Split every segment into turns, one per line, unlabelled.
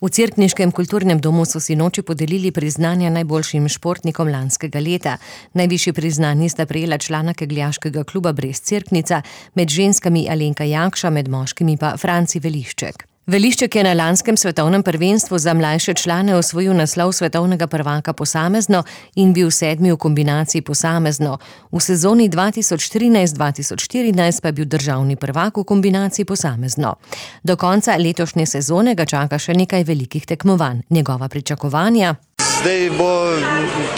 V Cerkniškem kulturnem domu so sinoči podelili priznanja najboljšim športnikom lanskega leta. Najvišji priznanji sta prejela člana kegljaškega kluba Brest Cerknica, med ženskami Alenka Jakša, med moškimi pa Franci Velišček. Velišček je na lanskem svetovnem prvenstvu za mlajše člane osvojil naslov svetovnega prvaka posamezno in bil sedmi v kombinaciji posamezno. V sezoni 2013-2014 pa je bil državni prvak v kombinaciji posamezno. Do konca letošnje sezone ga čaka še nekaj velikih tekmovanj. Njegova pričakovanja?
Zdaj bo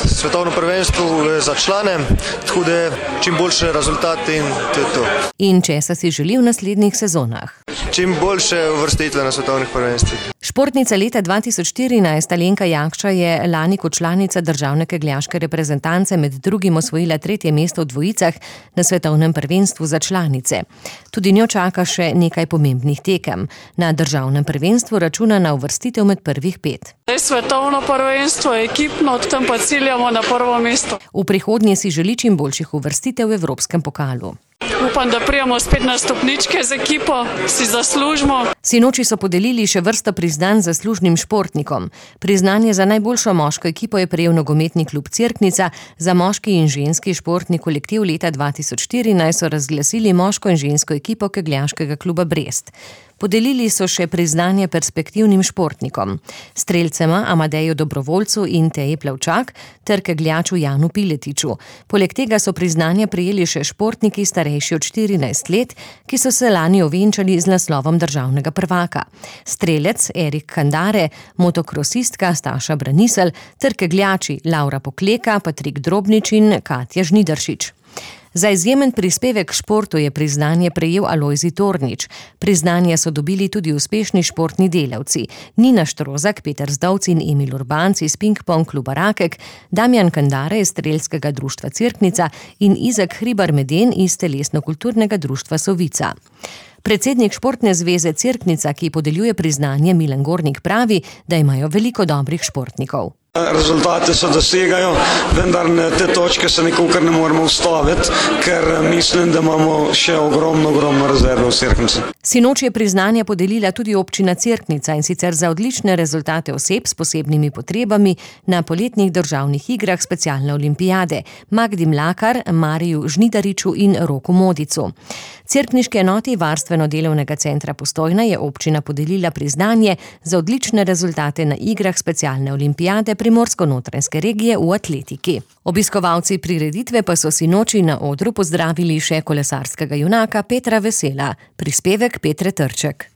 svetovno prvenstvo za člane, tako da čim boljše rezultate in to je to.
In česa si želi v naslednjih sezonah?
Čim boljše uvrstitve na svetovnih prvenstvih.
Športnica leta 2014 Alenka Jakša je lani kot članica državne kegljaške reprezentance med drugim osvojila 3. mesto v dvojicah na svetovnem prvenstvu za članice. Tudi njo čaka še nekaj pomembnih tekem. Na državnem prvenstvu računa na uvrstitev med prvih 5.
Svetovno prvenstvo je ekipno, tam pa ciljamo na prvo mesto.
V prihodnje si želi čim boljših uvrstitev v evropskem pokalu.
Upam, da prijemo spet na stopničke z ekipo, si zaslužimo.
Sinoči so podelili še vrsto priznanj zaslužnim športnikom. Priznanje za najboljšo moško ekipo je prejel nogometni klub Cerknica, za moški in ženski športni kolektiv leta 2014 so razglasili moško in žensko ekipo kegljaškega kluba Brest. Podelili so še priznanje perspektivnim športnikom, strelcema Amadeju Dobrovoljcu in Teji Plavčak ter kegljaču Janu Piletiču. Poleg tega so priznanje prejeli še športniki starejši od 14 let, ki so se lani ovenčali z naslovom državnega prvaka. Strelec Erik Kandare, motokrosistka Staša Branisel ter kegljači Laura Pokleka, Patrik Drobnič in Katja Žnidaršič. Za izjemen prispevek k športu je priznanje prejel Alojzij Tornič. Priznanje so dobili tudi uspešni športni delavci. Nina Štrozak, Peter Zdovc in Emil Urbanc iz Ping-pong kluba Rakek, Damjan Kandare iz Strelskega društva Cerknica in Izak Hribar Meden iz Telesno-kulturnega društva Sovica. Predsednik Športne zveze Cerknica, ki podeljuje priznanje, Milan Gornik, pravi, da imajo veliko dobrih športnikov.
Rezultate se dosegajo, vendar te točke se nikakor ne moremo ustaviti, ker mislim, da imamo še ogromno rezerve v Cerknici.
Sinoči je priznanje podelila tudi občina Cerknica, in sicer za odlične rezultate oseb s posebnimi potrebami na poletnih državnih igrah specialne olimpijade Magdi Mlakar, Mariju Žnidariču in Roku Modicu. Cerkniški enoti Varstveno-delovnega centra Postojna je občina podelila priznanje za odlične rezultate na igrah specialne olimpijade Primorsko-notranjske regije v atletiki. Obiskovalci prireditve pa so sinoči na odru pozdravili še kolesarskega junaka Petra Vesela. Prispevek Petre Trček.